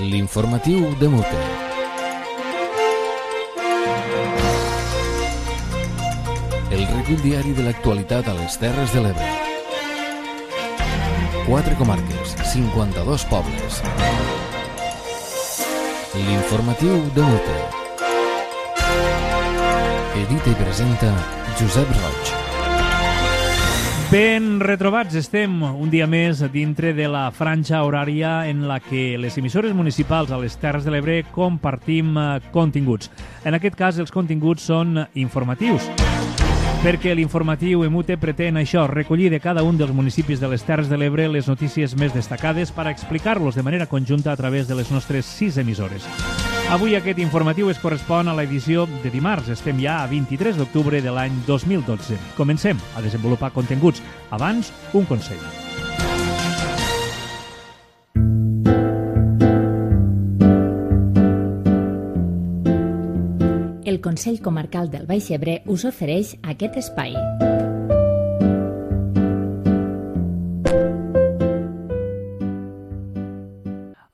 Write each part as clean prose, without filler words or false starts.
L'informatiu de Mute. El recull diari de l'actualitat a les Terres de l'Ebre. 4 comarques, 52 pobles. L'informatiu de Mute. Edita i presenta Josep Roig. Ben retrobats estem un dia més dintre de la franja horària en la que les emissores municipals a les Terres de l'Ebre compartim continguts. En aquest cas, els continguts són informatius, perquè l'informatiu EMUTE pretén això, recollir de cada un dels municipis de les Terres de l'Ebre les notícies més destacades per explicar-los de manera conjunta a través de les nostres 6 emissores. Avui aquest informatiu es correspon a l'edició de dimarts. Estem ja a 23 d'octubre de l'any 2012. Comencem a desenvolupar continguts. Abans, un consell. El Consell Comarcal del Baix Ebre us ofereix aquest espai.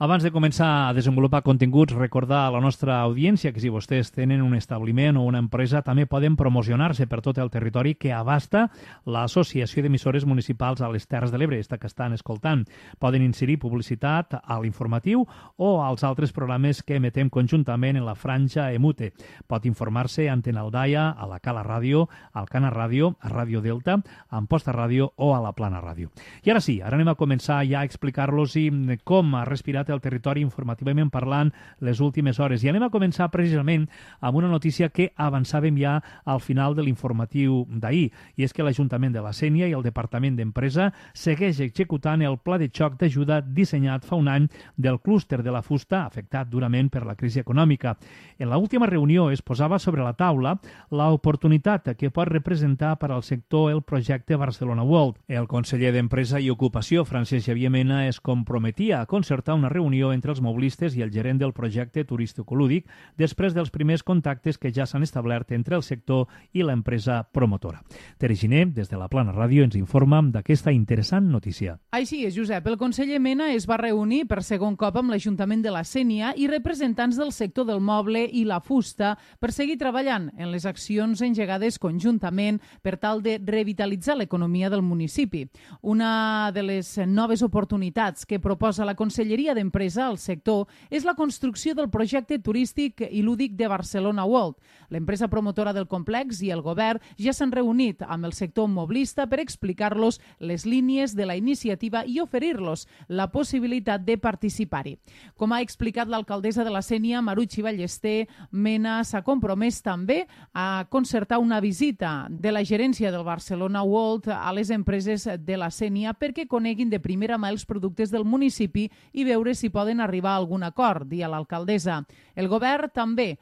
Abans de començar a desenvolupar continguts, recordar a la nostra audiència que si vostès tenen un establiment o una empresa també poden promocionar-se per tot el territori que abasta l'Associació d'Emissores Municipals a les Terres de l'Ebre, esta que estan escoltant. Poden inserir publicitat a l'informatiu o als altres programes que emetem conjuntament en la franja EMUTE. Pot informar-se a Antena Aldaia, a la Cala Ràdio, al Cana Ràdio, a Ràdio Delta, a Amposta Ràdio o a la Plana Ràdio. I ara sí, ara anem a començar ja a explicar-los com ha respirat el territori informativament parlant les últimes hores. I anem a començar precisament amb una notícia que avançàvem ja al final de l'informatiu d'ahir, i és que l'Ajuntament de la Sénia i el Departament d'Empresa segueix executant el pla de xoc d'ajuda dissenyat fa un any del clúster de la fusta afectat durament per la crisi econòmica. En l'última reunió es posava sobre la taula l'oportunitat que pot representar per al sector el projecte Barcelona World. El conseller d'Empresa i Ocupació, Francesc Xavier Mena, es comprometia a concertar una reunió entre els mobilistes i el gerent del projecte turístico-lúdic després dels primers contactes que ja s'han establert entre el sector i l'empresa promotora. Tere Giner, des de la Plana Ràdio, ens informa d'aquesta interessant notícia. Així és, Josep. El conseller Mena es va reunir per segon cop amb l'Ajuntament de la Sénia i representants del sector del moble i la fusta per seguir treballant en les accions engegades conjuntament per tal de revitalitzar l'economia del municipi. Una de les noves oportunitats que proposa la Conselleria d'Empresa al sector és la construcció del projecte turístic i lúdic de Barcelona World. L'empresa promotora del complex i el govern ja s'han reunit amb el sector moblista per explicar-los les línies de la iniciativa i oferir-los la possibilitat de participar-hi. Com ha explicat l'alcaldessa de la Sénia, Maruchi Ballester, Mena s'ha compromès també a concertar una visita de la gerència del Barcelona World a les empreses de la Sénia perquè coneguin de primera mà els productes del municipi i veure si poden arribar a algun acord, dia l'alcaldessa. El govern també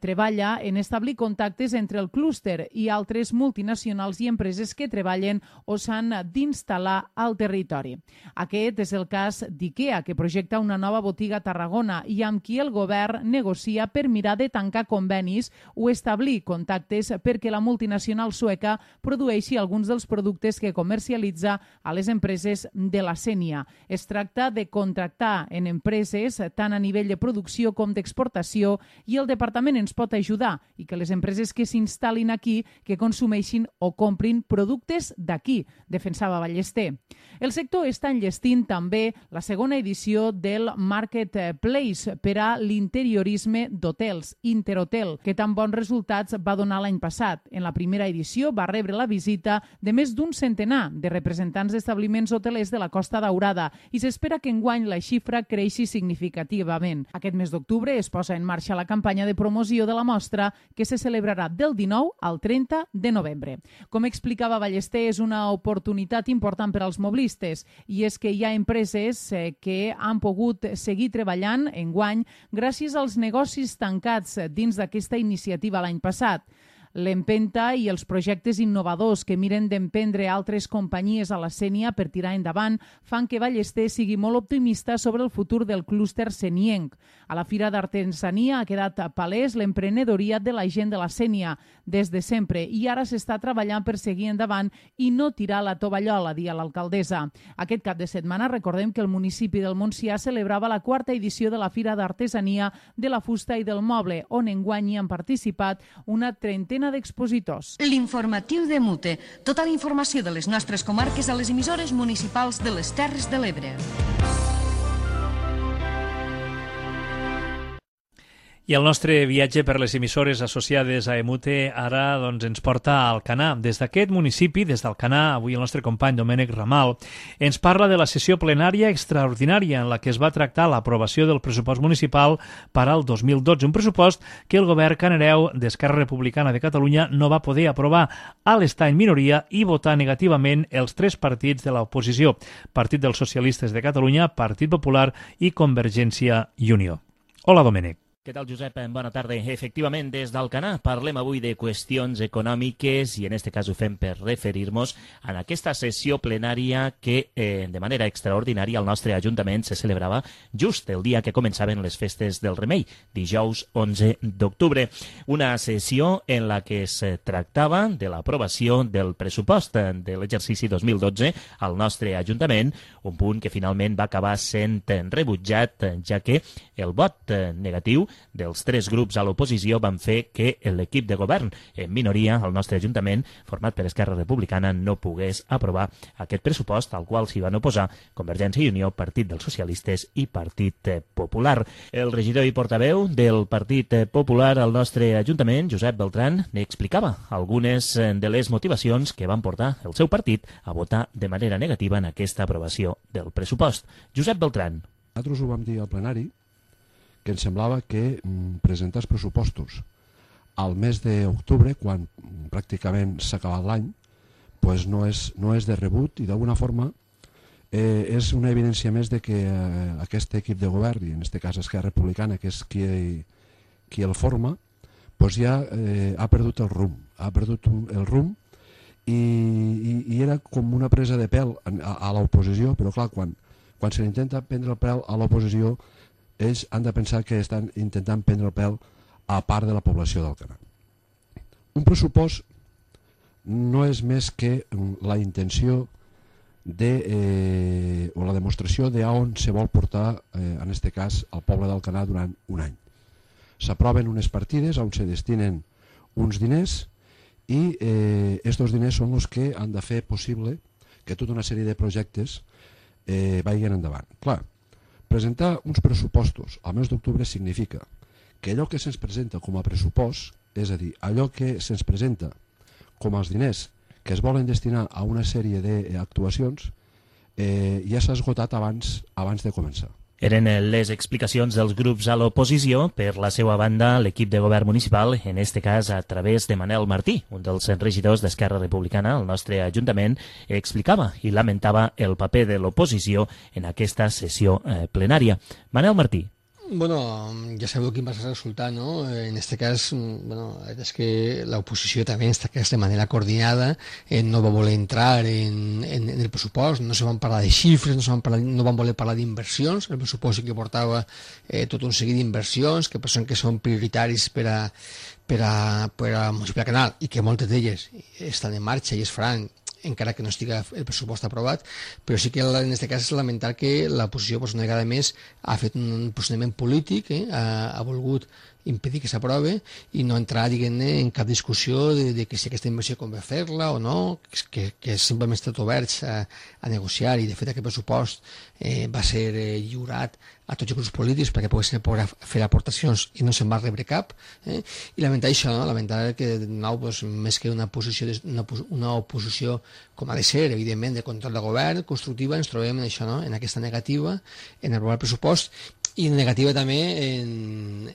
treballa en establir contactes entre el clúster i altres multinacionals i empreses que treballen o s'han d'instal·lar al territori. Aquest és el cas d'IKEA, que projecta una nova botiga a Tarragona i amb qui el govern negocia per mirar de tancar convenis o establir contactes perquè la multinacional sueca produeixi alguns dels productes que comercialitza a les empreses de la Sénia. Es tracta de contractar en empreses tant a nivell de producció com d'exportació i el Departament ens pot ajudar i que les empreses que s'instal·lin aquí que consumeixin o comprin productes d'aquí, defensava Ballester. El sector està enllestint també la segona edició del Marketplace per a l'interiorisme d'hotels, Interhotel, que tan bons resultats va donar l'any passat. En la primera edició va rebre la visita de més d'un centenar de representants d'establiments hotelers de la Costa Daurada i s'espera que enguany la xifra creixi significativament. Aquest mes d'octubre es posa en marxa la campanya de promoció de la mostra que se celebrarà del 19 al 30 de novembre. Com explicava Ballester, és una oportunitat important per als mobilistes i és que hi ha empreses que han pogut seguir treballant enguany gràcies als negocis tancats dins d'aquesta iniciativa l'any passat. L'empenta i els projectes innovadors que miren d'emprendre altres companyies a la Sénia per tirar endavant fan que Ballester sigui molt optimista sobre el futur del clúster senienc. A la Fira d'Artesania ha quedat palès l'emprenedoria de la gent de la Sénia des de sempre i ara s'està treballant per seguir endavant i no tirar la tovallola, dia l'alcaldessa. Aquest cap de setmana recordem que el municipi del Montsià celebrava la 4ª edició de la Fira d'Artesania de la Fusta i del Moble, on enguany hi han participat una 30 d'expositors. L'informatiu de Mute. Tota la informació de les nostres comarques a les emissores municipals de les Terres de l'Ebre. I el nostre viatge per les emissores associades a EMUTE ara ens porta a Alcanar. Des d'aquest municipi, des d'Alcanar, avui el nostre company Domènec Ramal ens parla de la sessió plenària extraordinària en la que es va tractar l'aprovació del pressupost municipal per al 2012, un pressupost que el govern canareu d'Esquerra Republicana de Catalunya no va poder aprovar a l'estar en minoria i votar negativament els 3 partits de l'oposició, Partit dels Socialistes de Catalunya, Partit Popular i Convergència i Unió. Hola, Domènec. Què tal, Josep? Bona tarda. Efectivament, des d'Alcanar parlem avui de qüestions econòmiques i en aquest cas ho fem per referir-nos a aquesta sessió plenària que de manera extraordinària al nostre Ajuntament se celebrava just el dia que començaven les festes del Remei, dijous 11 d'octubre. Una sessió en la que es tractava de l'aprovació del pressupost de l'exercici 2012 al nostre Ajuntament, un punt que finalment va acabar sent rebutjat, ja que el vot negatiu dels 3 grups a l'oposició van fer que l'equip de govern en minoria al nostre Ajuntament, format per Esquerra Republicana, no pogués aprovar aquest pressupost, al qual s'hi van oposar Convergència i Unió, Partit dels Socialistes i Partit Popular. El regidor i portaveu del Partit Popular al nostre Ajuntament, Josep Beltran, n'explicava algunes de les motivacions que van portar el seu partit a votar de manera negativa en aquesta aprovació del pressupost. Josep Beltran. Nosaltres ho vam dir al plenari, que ens semblava que presentar els pressupostos al mes d'octubre, quan pràcticament s'ha acabat l'any, pues no és de rebut i d'alguna forma és una evidència més de que aquest equip de govern, i en aquest cas Esquerra Republicana, que és qui el forma, pues ja ha perdut el rumb, i era com una presa de pèl a l'oposició, però clar, quan se l'intenta prendre el pèl a l'oposició, ells han de pensar que estan intentant prendre el pèl a part de la població d'Alcanar. Un pressupost no és més que la intenció o la demostració d'on se vol portar, en aquest cas, el poble d'Alcanar durant un any. S'aproven unes partides on se destinen uns diners i aquests diners són els que han de fer possible que tota una sèrie de projectes vagin endavant. Clar, presentar uns pressupostos al mes d'octubre significa que allò que se'ns presenta com a pressupost, és a dir, allò que se'ns presenta com els diners que es volen destinar a una sèrie d'actuacions, ja s'ha esgotat abans de començar. Eren les explicacions dels grups a l'oposició. Per la seva banda, l'equip de govern municipal, en este cas a través de Manel Martí, un dels regidors d'Esquerra Republicana al nostre Ajuntament, explicava i lamentava el paper de l'oposició en aquesta sessió plenària. Manel Martí. Bueno, ja sabeu quin va ser el resultat, no? En este cas, bueno, és que l'oposició també, en este cas de manera coordinada, no va voler entrar en el pressupost, no se van parlar de xifres, no van voler parlar d'inversions. El pressupost que portava tot un seguit d'inversions que són prioritaris per a municipi de Canal i que moltes d'elles estan en marxa i es faran encara que no estigui el pressupost aprovat, però sí que en aquest cas és lamentar que l'oposició una vegada més ha fet un posicionament polític, ha volgut impedir que s'aprovi i no entrar, diguem-ne, en cap discussió de que si aquesta inversió convé fer-la o no, que simplement estat oberts a negociar, i de fet aquest pressupost va ser lliurat a tots els grups polítics perquè poguessin fer aportacions i no se'n va rebre cap, i lamentar això, no? Lamentar que de nou, més que una oposició com ha de ser, evidentment, de control de govern constructiva, ens trobem en això, no? En aquesta negativa, en aprovar el pressupost, I negativa també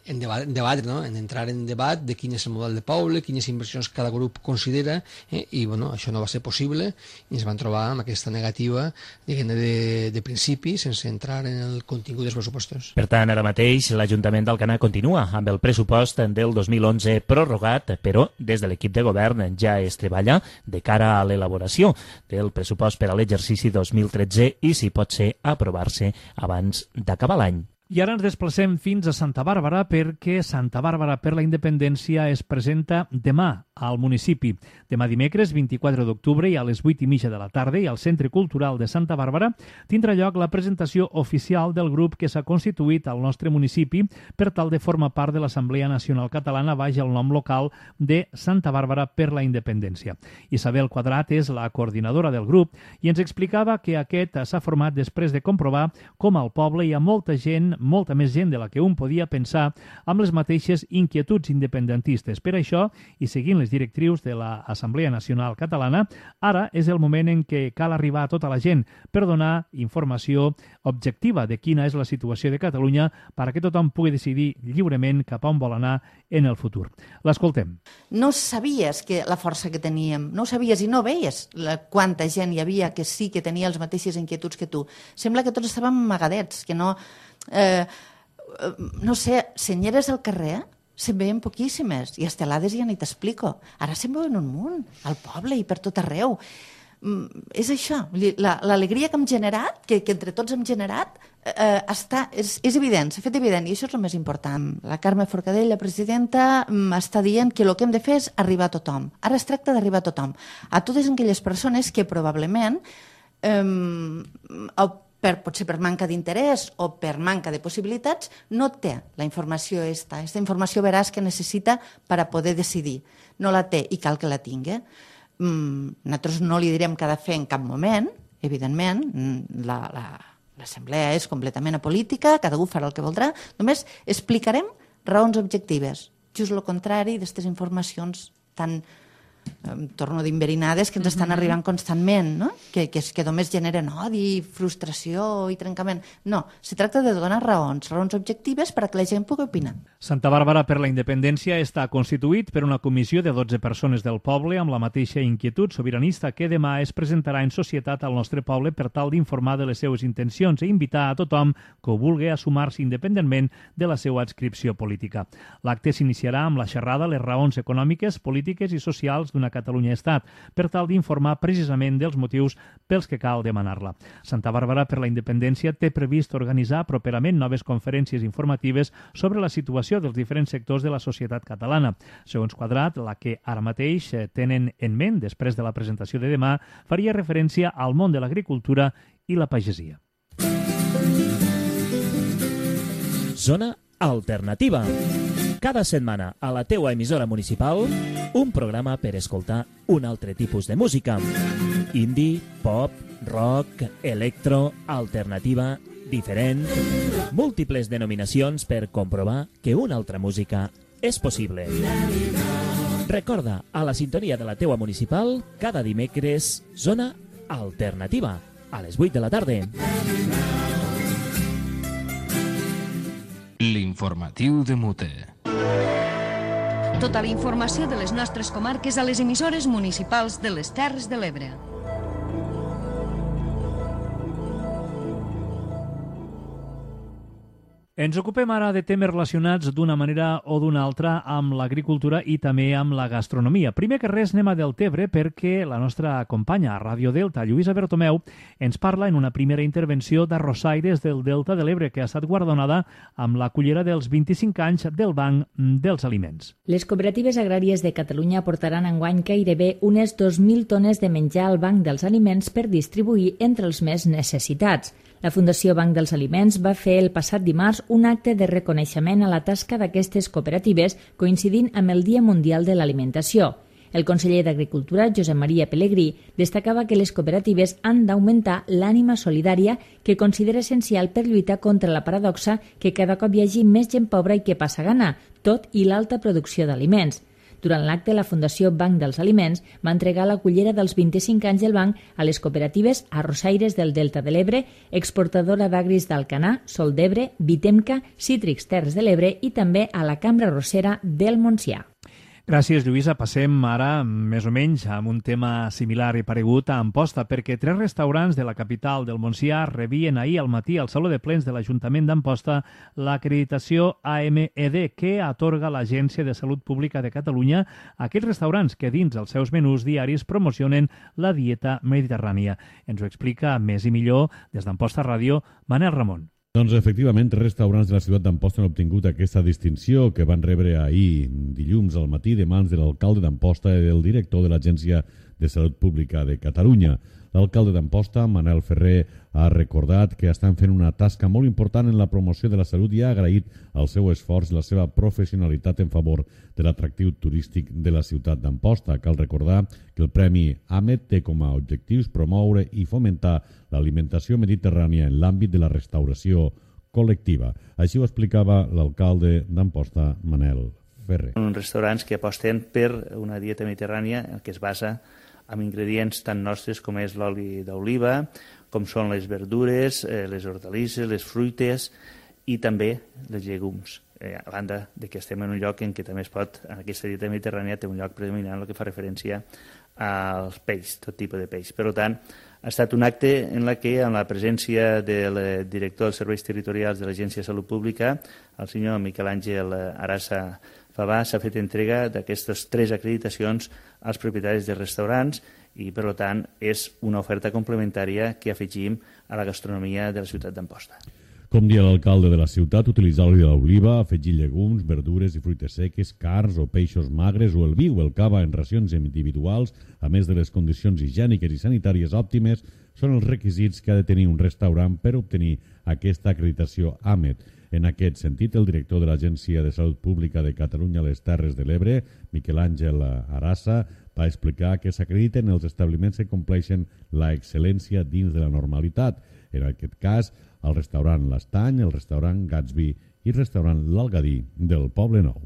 en debatre, no? En entrar en debat de quin és el model de poble, quines inversions cada grup considera, i bueno, això no va ser possible i ens van trobar amb aquesta negativa de principi, sense entrar en el contingut dels pressupostos. Per tant, ara mateix l'Ajuntament d'Alcanar continua amb el pressupost del 2011 prorrogat, però des de l'equip de govern ja es treballa de cara a l'elaboració del pressupost per a l'exercici 2013 i, si pot ser, aprovar-se abans d'acabar l'any. I ara ens desplacem fins a Santa Bàrbara perquè Santa Bàrbara per la Independència es presenta demà al municipi. Demà dimecres 24 d'octubre i a les 8:30 de la tarda i al Centre Cultural de Santa Bàrbara tindrà lloc la presentació oficial del grup que s'ha constituït al nostre municipi per tal de formar part de l'Assemblea Nacional Catalana baix el nom local de Santa Bàrbara per la Independència. Isabel Quadrat és la coordinadora del grup i ens explicava que aquest s'ha format després de comprovar com al poble hi ha molta més gent de la que un podia pensar, amb les mateixes inquietuds independentistes. Per això, i seguint les directrius de l'Assemblea Nacional Catalana, ara és el moment en què cal arribar a tota la gent per donar informació objectiva de quina és la situació de Catalunya perquè tothom pugui decidir lliurement cap a on vol anar en el futur. L'escoltem. No sabies que la força que teníem, no ho sabies i no veies quanta gent hi havia que sí que tenia les mateixes inquietuds que tu. Sembla que tots estàvem amagadets, que no... no sé, senyeres al carrer se'n veien poquíssimes i estelades ja ni t'explico. Ara se'n veuen un munt, al poble i per tot arreu. És això, l'alegria que hem generat, que entre tots hem generat, és evident, s'ha fet evident i això és el més important. La Carme Forcadell, la presidenta, està dient que el que hem de fer és arribar a tothom. Ara es tracta d'arribar a tothom, a totes aquelles persones que probablement potser per manca d'interès o per manca de possibilitats, no té la informació aquesta informació veraç que necessita per a poder decidir. No la té i cal que la tingui. Nosaltres no li direm què ha de fer en cap moment, evidentment, l'assemblea és completament apolítica, cada un farà el que voldrà, només explicarem raons objectives, just el contrari d'aquestes informacions tan torno d'inverinades que ens estan arribant constantment, no? que només generen odi, frustració i trencament. No, se tracta de donar raons objectives perquè la gent pugui opinar. Santa Bàrbara per la Independència està constituït per una comissió de 12 persones del poble amb la mateixa inquietud sobiranista que demà es presentarà en societat al nostre poble per tal d'informar de les seues intencions i invitar a tothom que ho vulgui a sumar-se independentment de la seva adscripció política. L'acte s'iniciarà amb la xerrada les raons econòmiques, polítiques i socials d'una Catalunya-Estat, per tal d'informar precisament dels motius pels que cal demanar-la. Santa Bàrbara per la Independència té previst organitzar properament noves conferències informatives sobre la situació dels diferents sectors de la societat catalana. Segons Quadrat, la que ara mateix tenen en ment després de la presentació de demà faria referència al món de l'agricultura i la pagesia. Zona Alternativa. Cada setmana a la teua emissora municipal un programa per escoltar un altre tipus de música. Indie, pop, rock, electro, alternativa, diferent... Múltiples denominacions per comprovar que una altra música és possible. Recorda, a la sintonia de la teua municipal, cada dimecres, Zona Alternativa, a les 8 de la tarda. L'informatiu de Mute. Tota la informació de les nostres comarques a les emissores municipals de les Terres de l'Ebre. Ens ocupem ara de temes relacionats d'una manera o d'una altra amb l'agricultura i també amb la gastronomia. Primer que res anem a Deltebre perquè la nostra companya a Ràdio Delta, Lluïsa Bertomeu, ens parla en una primera intervenció d'arrossaires del Delta de l'Ebre que ha estat guardonada amb la cullera dels 25 anys del Banc dels Aliments. Les cooperatives agràries de Catalunya portaran enguany gairebé unes 2.000 tones de menjar al Banc dels Aliments per distribuir entre els més necessitats. La Fundació Banc dels Aliments va fer el passat dimarts un acte de reconeixement a la tasca d'aquestes cooperatives coincidint amb el Dia Mundial de l'Alimentació. El conseller d'Agricultura, Josep Maria Pelegrí, destacava que les cooperatives han d'augmentar l'ànima solidària que considera essencial per lluitar contra la paradoxa que cada cop hi hagi més gent pobra i que passa gana, tot i l'alta producció d'aliments. Durant l'acte, la Fundació Banc dels Aliments va entregar la cullera dels 25 anys del banc a les cooperatives arrossaires del Delta de l'Ebre, exportadora d'agris d'Alcanar, Sol d'Ebre, Vitemca, Cítrics Terres de l'Ebre i també a la Cambra Arrossera del Montsià. Gràcies, Lluïsa. Passem ara, més o menys, amb un tema similar i paregut a Amposta, perquè 3 restaurants de la capital del Montsià rebien ahir al matí al Saló de Plens de l'Ajuntament d'Amposta l'acreditació AMED que atorga l'Agència de Salut Pública de Catalunya a aquells restaurants que dins els seus menús diaris promocionen la dieta mediterrània. Ens ho explica més i millor des d'Amposta Ràdio, Manel Ramon. Doncs efectivament, 3 restaurants de la ciutat d'Amposta han obtingut aquesta distinció que van rebre ahir, dilluns al matí, de mans de l'alcalde d'Amposta i del director de l'Agència de Salut Pública de Catalunya. L'alcalde d'Amposta, Manel Ferrer, ha recordat que estan fent una tasca molt important en la promoció de la salut i ha agraït el seu esforç i la seva professionalitat en favor de l'atractiu turístic de la ciutat d'Amposta. Cal recordar que el Premi AMED té com a objectius promoure i fomentar l'alimentació mediterrània en l'àmbit de la restauració col·lectiva. Així ho explicava l'alcalde d'Amposta, Manel Ferrer. Uns restaurants que aposten per una dieta mediterrània que es basa amb ingredients tan nostres com és l'oli d'oliva, com són les verdures, les hortalisses, les fruites i també les llegums. A banda de que estem en un lloc en què també es pot, en aquesta dieta mediterrània té un lloc predominant el que fa referència als peix, tot tipus de peix. Per tant, ha estat un acte en què, amb la presència del director dels serveis territorials de l'Agència de Salut Pública, el senyor Miquel Àngel Arassa Favà, s'ha fet entrega d'aquestes 3 acreditacions als propietaris de restaurants i, per tant, és una oferta complementària que afegim a la gastronomia de la ciutat d'Amposta. Com dia l'alcalde de la ciutat, utilitzar l'oli d'oliva, afegir llegums, verdures i fruites seques, carns o peixos magres o el vi o el cava en racions individuals, a més de les condicions higièniques i sanitàries òptimes, són els requisits que ha de tenir un restaurant per obtenir aquesta acreditació AMED. En aquest sentit, el director de l'Agència de Salut Pública de Catalunya a les Terres de l'Ebre, Miquel Àngel Arassa, va explicar que s'acrediten els establiments que compleixen la excel·lència dins de la normalitat. En aquest cas, el restaurant L'Estany, el restaurant Gatsby i el restaurant L'Algadí del Poble Nou.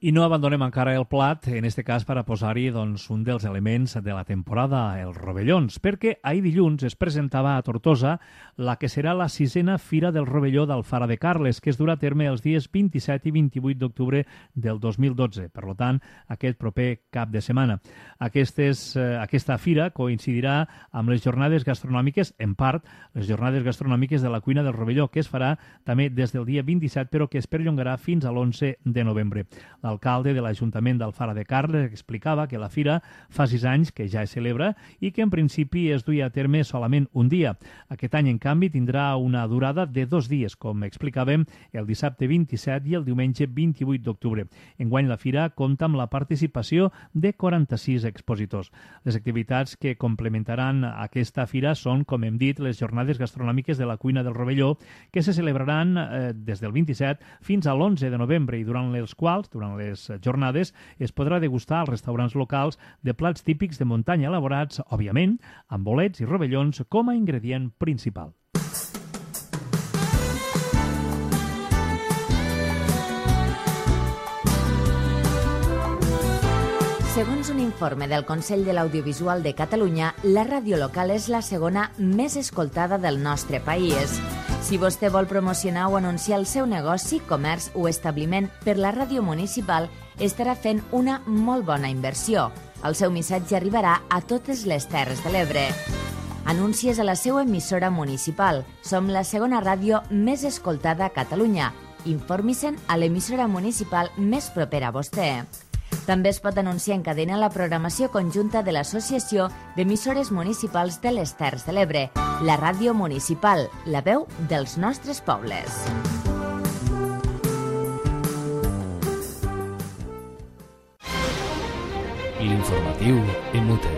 I no abandonem encara el plat, en este cas per a posar-hi un dels elements de la temporada, els rovellons, perquè ahir dilluns es presentava a Tortosa la que serà la 6a Fira del Rovelló d'Alfara de Carles, que es durà a terme els dies 27 i 28 d'octubre del 2012, per tant, aquest proper cap de setmana. Aquesta fira coincidirà amb les jornades gastronòmiques, en part, les jornades gastronòmiques de la cuina del Rovelló, que es farà també des del dia 27, però que es perllongarà fins a l'11 de novembre. L'alcalde de l'Ajuntament d'Alfara de Carles explicava que la fira fa 6 anys que ja es celebra i que en principi es duia a terme solament un dia. Aquest any, en canvi, tindrà una durada de 2 dies, com explicàvem, el dissabte 27 i el diumenge 28 d'octubre. Enguany la fira compta amb la participació de 46 expositors. Les activitats que complementaran aquesta fira són, com hem dit, les jornades gastronòmiques de la cuina del Rovelló, que se celebraran des del 27 fins a l'11 de novembre i durant les jornades es podrà degustar als restaurants locals de plats típics de muntanya elaborats, òbviament, amb bolets i rovellons com a ingredient principal. Segons un informe del Consell de l'Audiovisual de Catalunya, la ràdio local és la segona més escoltada del nostre país. Si vostè vol promocionar o anunciar el seu negoci, comerç o establiment per la ràdio municipal, estarà fent una molt bona inversió. El seu missatge arribarà a totes les Terres de l'Ebre. Anuncies a la seva emissora municipal. Som la segona ràdio més escoltada a Catalunya. Informi-se'n a l'emissora municipal més propera a vostè. També es pot anunciar en cadena la programació conjunta de l'Associació d'Emissores Municipals de les Terres de l'Ebre, la ràdio municipal, la veu dels nostres pobles. L'informatiu en Mute.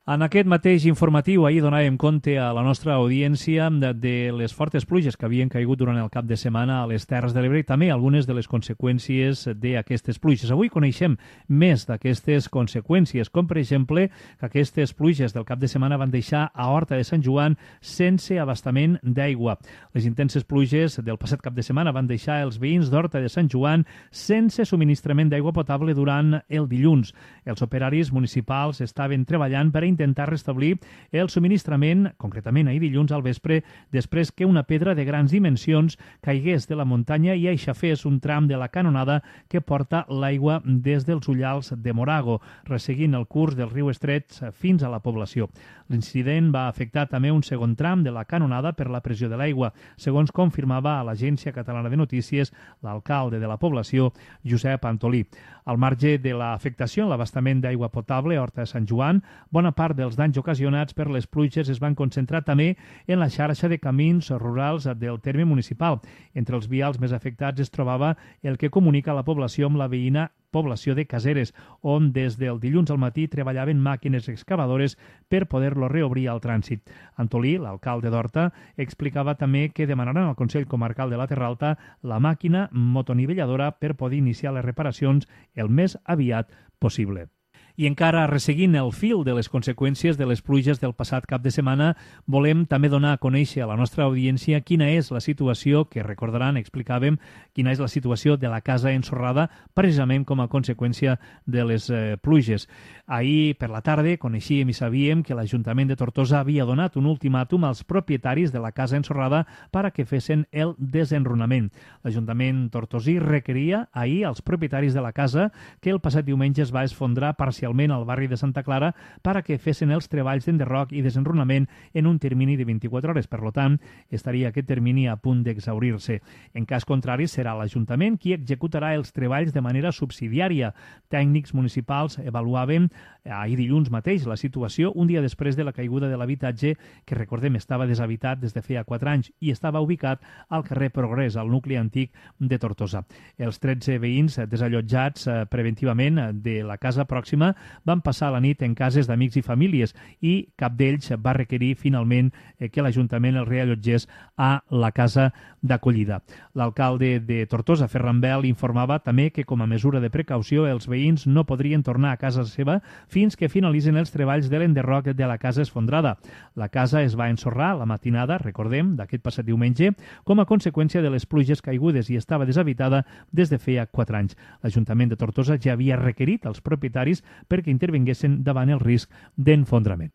En aquest mateix informatiu, ahir donàvem compte a la nostra audiència de les fortes pluges que havien caigut durant el cap de setmana a les Terres de l'Ebre i també algunes de les conseqüències d'aquestes pluges. Avui coneixem més d'aquestes conseqüències, com per exemple que aquestes pluges del cap de setmana van deixar a Horta de Sant Joan sense abastament d'aigua. Les intenses pluges del passat cap de setmana van deixar els veïns d'Horta de Sant Joan sense subministrament d'aigua potable durant el dilluns. Els operaris municipals estaven treballant per intentar restablir el subministrament, concretament ahir dilluns al vespre, després que una pedra de grans dimensions caigués de la muntanya i aixafés un tram de la canonada que porta l'aigua des dels Ullals de Morago, resseguint el curs del riu Estret fins a la població. L'incident va afectar també un segon tram de la canonada per la pressió de l'aigua, segons confirmava a l'Agència Catalana de Notícies l'alcalde de la població, Josep Antolí. Al marge de l'afectació en l'abastament d'aigua potable a Horta de Sant Joan, bona part dels danys ocasionats per les pluges es van concentrar també en la xarxa de camins rurals del terme municipal. Entre els vials més afectats es trobava el que comunica la població amb la veïna població de Caseres, on des del dilluns al matí treballaven màquines excavadores per poder-lo reobrir al trànsit. Antolí, l'alcalde d'Horta, explicava també que demanaran al Consell Comarcal de la Terra Alta la màquina motonivelladora per poder iniciar les reparacions el més aviat possible. I encara resseguint el fil de les conseqüències de les pluges del passat cap de setmana, volem també donar a conèixer a la nostra audiència quina és la situació, que recordaran, explicàvem, quina és la situació de la casa ensorrada precisament com a conseqüència de les pluges. Ahir per la tarda coneixíem i sabíem que l'Ajuntament de Tortosa havia donat un ultimàtum als propietaris de la casa ensorrada per a que fessin el desenrunament. L'Ajuntament tortosí requeria ahir als propietaris de la casa que el passat diumenge es va esfondrar parcialment al barri de Santa Clara per a que fessin els treballs d'enderroc i desenrunament en un termini de 24 hores. Per tant, estaria aquest termini a punt d'exhaurir-se. En cas contrari, serà l'Ajuntament qui executarà els treballs de manera subsidiària. Tècnics municipals avaluaven ahir dilluns mateix la situació un dia després de la caiguda de l'habitatge que, recordem, estava deshabitat des de feia 4 anys i estava ubicat al carrer Progrés, al nucli antic de Tortosa. Els 13 veïns desallotjats preventivament de la casa pròxima van passar la nit en cases d'amics i famílies i cap d'ells va requerir finalment que l'Ajuntament els reallotgés a la casa d'acollida. L'alcalde de Tortosa, Ferran Bel, informava també que com a mesura de precaució els veïns no podrien tornar a casa seva fins que finalitzen els treballs de l'enderroc de la casa esfondrada. La casa es va ensorrar la matinada, recordem, d'aquest passat diumenge, com a conseqüència de les pluges caigudes i estava deshabitada des de feia 4 anys. L'Ajuntament de Tortosa ja havia requerit als propietaris perquè intervinguessin davant el risc d'enfondrament.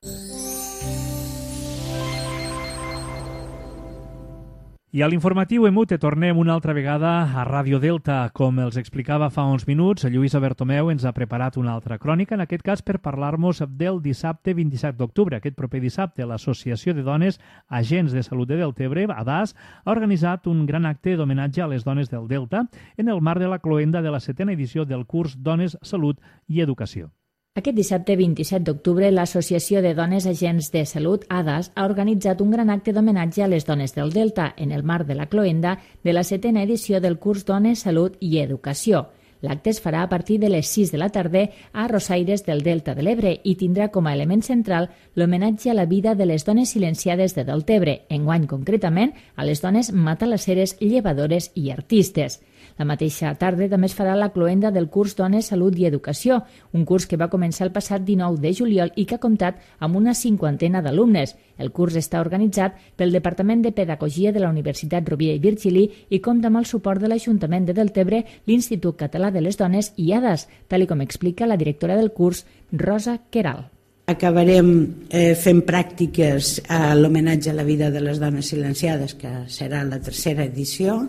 I a l'informatiu Emute tornem una altra vegada a Ràdio Delta. Com els explicava fa uns minuts, Lluïsa Bertomeu ens ha preparat una altra crònica, en aquest cas per parlar-nos del dissabte 27 d'octubre. Aquest proper dissabte, l'Associació de Dones Agents de Salut de Deltebre, ADAS, ha organitzat un gran acte d'homenatge a les dones del Delta en el marc de la cloenda de la 7a edició del curs Dones, Salut i Educació. Aquest dissabte 27 d'octubre, l'Associació de Dones Agents de Salut, ADAS, ha organitzat un gran acte d'homenatge a les dones del Delta en el marc de la cloenda de la 7a edició del curs Dones, Salut i Educació. L'acte es farà a partir de les 6 de la tarda a Rosaires del Delta de l'Ebre i tindrà com a element central l'homenatge a la vida de les dones silenciades de Deltebre, enguany concretament a les dones matalasseres, llevadores i artistes. La mateixa tarda també es farà la cloenda del curs Dones, Salut i Educació, un curs que va començar el passat 19 de juliol i que ha comptat amb una 50ena d'alumnes. El curs està organitzat pel Departament de Pedagogia de la Universitat Rovira i Virgili i compta amb el suport de l'Ajuntament de Deltebre, l'Institut Català de les Dones i ADAS, tal com explica la directora del curs, Rosa Queral. Acabarem fent pràctiques a l'homenatge a la vida de les dones silenciades, que serà la 3a edició,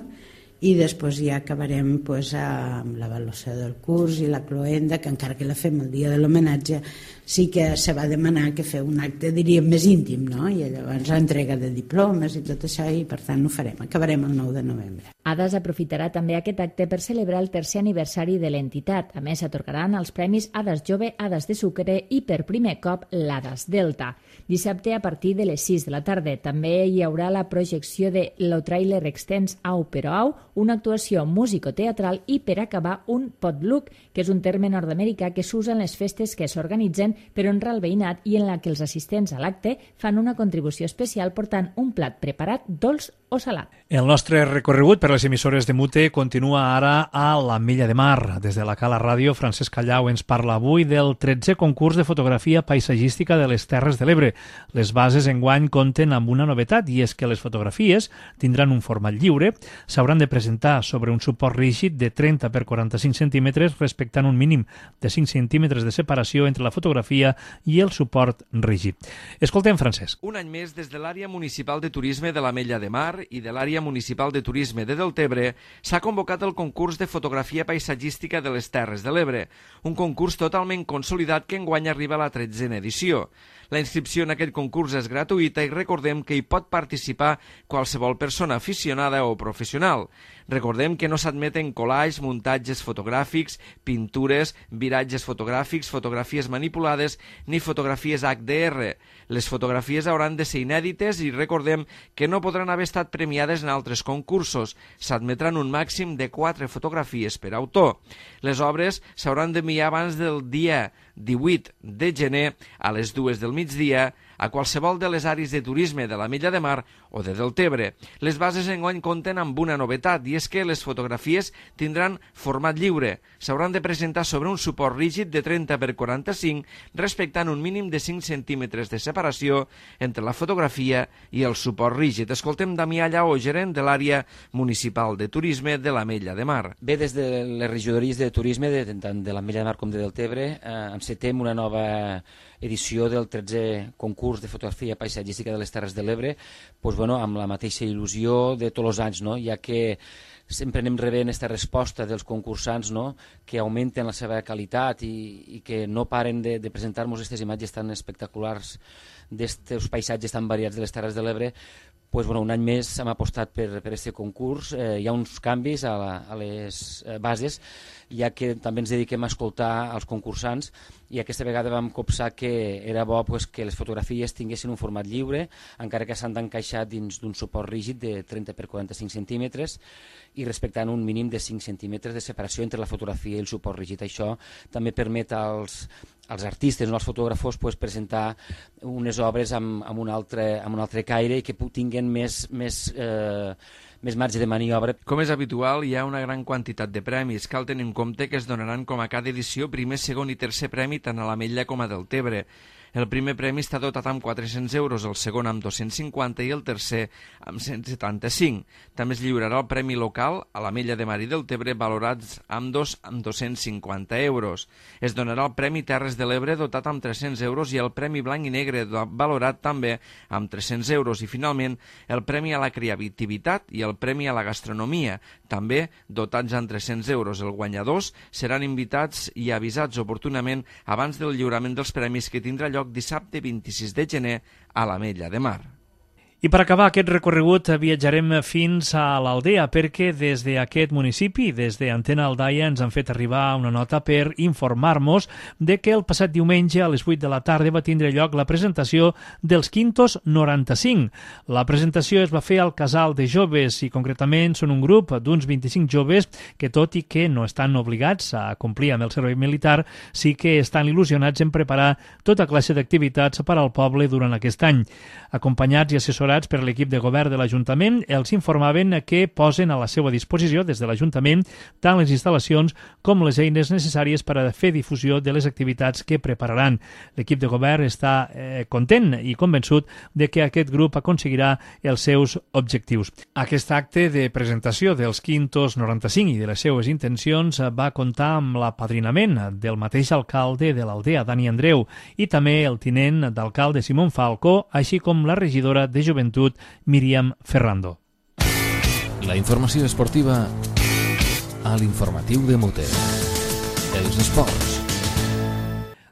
i després ja acabarem amb l'avaluació del curs i la cloenda, que encara que la fem el dia de l'homenatge sí que se va demanar que feu un acte, diríem, més íntim, no? I llavors l'entrega de diplomes i tot això, i per tant ho farem, acabarem el 9 de novembre. ADAS aprofitarà també aquest acte per celebrar el 3è aniversari de l'entitat. A més, s'atorgaran els premis ADAS Jove, ADAS de Sucre i per primer cop l'ADAS Delta. Dissabte a partir de les 6 de la tarda també hi haurà la projecció de Lo Trailer Extens Au Però Au, una actuació musicoteatral i per acabar un potluck, que és un terme nord-americà que s'usa en les festes que s'organitzen per honrar el veïnat i en la que els assistents a l'acte fan una contribució especial portant un plat preparat dolç o salat. El nostre recorregut per les emissores de Mute continua ara a l'Ametlla de Mar. Des de la Cala Ràdio, Francesc Callau ens parla avui del 13è concurs de fotografia paisatgística de les Terres de l'Ebre. Les bases enguany compten amb una novetat i és que les fotografies tindran un format lliure, s'hauran de presentar sobre un suport rígid de 30 per 45 centímetres respectant un mínim de 5 centímetres de separació entre la fotografia i el suport rígid. Escoltem, Francesc. Un any més, des de l'àrea municipal de turisme de l'Ametlla de Mar i de l'àrea municipal de turisme de Deltebre s'ha convocat el concurs de fotografia paisatgística de les Terres de l'Ebre, un concurs totalment consolidat que enguany arriba a la 13a edició. La inscripció en aquest concurs és gratuïta i recordem que hi pot participar qualsevol persona aficionada o professional. Recordem que no s'admeten collages, muntatges fotogràfics, pintures, viratges fotogràfics, fotografies manipulades ni fotografies HDR. Les fotografies hauran de ser inèdites i recordem que no podran haver estat premiades en altres concursos. S'admetran un màxim de 4 fotografies per autor. Les obres s'hauran d'enviar abans del dia 18 de gener a les 2 del migdia a qualsevol de les àrees de turisme de l'Ametlla de Mar o de Deltebre. Les bases enguany compten amb una novetat i és que les fotografies tindran format lliure. S'hauran de presentar sobre un suport rígid de 30 per 45 respectant un mínim de 5 centímetres de separació entre la fotografia i el suport rígid. Escoltem Damià Llaó, gerent de l'àrea municipal de turisme de l'Ametlla de Mar. Bé, des de les regidories de turisme tant de l'Ametlla de Mar com de Deltebre encetem una nova edició del 13è concurs de fotografia paisatgística de les Terres de l'Ebre, amb la mateixa il·lusió de tots els anys, ja que sempre anem rebent aquesta resposta dels concursants que augmenten la seva qualitat i que no paren de presentar-nos aquestes imatges tan espectaculars d'aquests paisatges tan variats de les Terres de l'Ebre. Un any més hem apostat per aquest concurs. Hi ha uns canvis a les bases, ja que també ens dediquem a escoltar els concursants i aquesta vegada vam copsar que era bo que les fotografies tinguessin un format lliure, encara que s'han d'encaixar dins d'un suport rígid de 30 per 45 centímetres i respectant un mínim de 5 centímetres de separació entre la fotografia i el suport rígid. Això també permet als artistes o als fotògrafos presentar unes obres amb un altre caire i que tinguin més marge de maniobra. Com és habitual, hi ha una gran quantitat de premis. Cal tenir en compte que es donaran com a cada edició primer, segon i tercer premi tant a l'Ametlla com a Deltebre. El primer premi està dotat amb 400 euros, el segon amb 250 i el tercer amb 175. També es lliurarà el premi local a l'Ametlla de Mar i Deltebre valorats amb 250 euros. Es donarà el premi Terres de l'Ebre dotat amb 300 euros i el premi Blanc i Negre valorat també amb 300 euros. I finalment el premi a la creativitat i el premi a la gastronomia, també dotats amb 300 euros. Els guanyadors seran invitats i avisats oportunament abans del lliurament dels premis que tindrà lloc dissabte 26 de gener a l'Ametlla de Mar. I per acabar aquest recorregut viatjarem fins a l'Aldea perquè des d'aquest municipi, des d'Antena Aldaia, ens han fet arribar una nota per informar-nos de que el passat diumenge a les 8 de la tarda va tindre lloc la presentació dels Quintos 95. La presentació es va fer al Casal de Joves i concretament són un grup d'uns 25 joves que tot i que no estan obligats a complir amb el servei militar, sí que estan il·lusionats en preparar tota classe d'activitats per al poble durant aquest any. Acompanyats i assessorats per l'equip de govern de l'Ajuntament, els informaven que posen a la seva disposició des de l'Ajuntament tant les instal·lacions com les eines necessàries per a fer difusió de les activitats que prepararan. L'equip de govern està content i convençut de que aquest grup aconseguirà els seus objectius. Aquest acte de presentació dels Quintos 95 i de les seues intencions va comptar amb l'apadrinament del mateix alcalde de l'Aldea, Dani Andreu, i també el tinent d'alcalde Simón Falcó, així com la regidora de Joventut, Míriam Ferrando. La informació esportiva a l'informatiu de Mute. Els esports.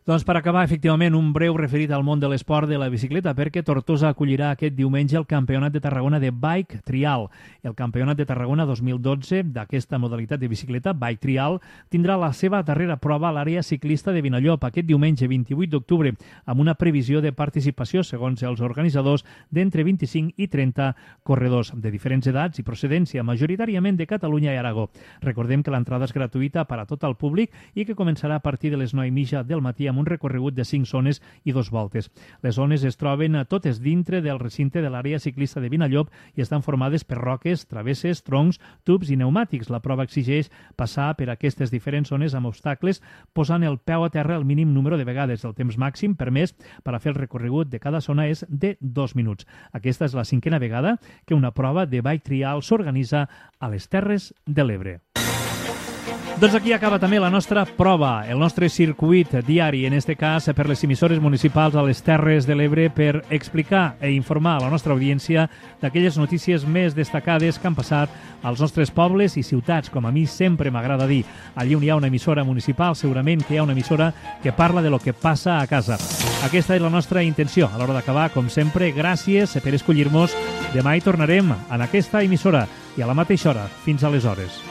Doncs per acabar, efectivament, un breu referit al món de l'esport de la bicicleta, perquè Tortosa acollirà aquest diumenge el Campionat de Tarragona de Bike Trial. El Campionat de Tarragona 2012 d'aquesta modalitat de bicicleta, Bike Trial, tindrà la seva darrera prova a l'àrea ciclista de Vinallop aquest diumenge 28 d'octubre, amb una previsió de participació, segons els organitzadors, d'entre 25 i 30 corredors de diferents edats i procedència, majoritàriament de Catalunya i Aragó. Recordem que l'entrada és gratuïta per a tot el públic i que començarà a partir de les 9:30 del matí amb amb un recorregut de 5 zones i 2 voltes. Les zones es troben totes dintre del recinte de l'àrea ciclista de Vinallop i estan formades per roques, travesses, troncs, tubs i pneumàtics. La prova exigeix passar per aquestes diferents zones amb obstacles, posant el peu a terra el mínim número de vegades. El temps màxim permès per a fer el recorregut de cada zona és de 2 minuts. Aquesta és la 5a vegada que una prova de bike trial s'organitza a les Terres de l'Ebre. Doncs aquí acaba també la nostra prova, el nostre circuit diari, en este cas per les emissores municipals a les Terres de l'Ebre, per explicar i informar a la nostra audiència d'aquelles notícies més destacades que han passat als nostres pobles i ciutats, com a mi sempre m'agrada dir. Allí on hi ha una emissora municipal, segurament que hi ha una emissora que parla de lo que passa a casa. Aquesta és la nostra intenció. A l'hora d'acabar, com sempre, gràcies per escollir-nos. Demà hi tornarem en aquesta emissora i a la mateixa hora. Fins aleshores.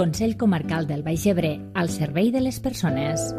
Consell Comarcal del Baix Ebre, al servei de les persones.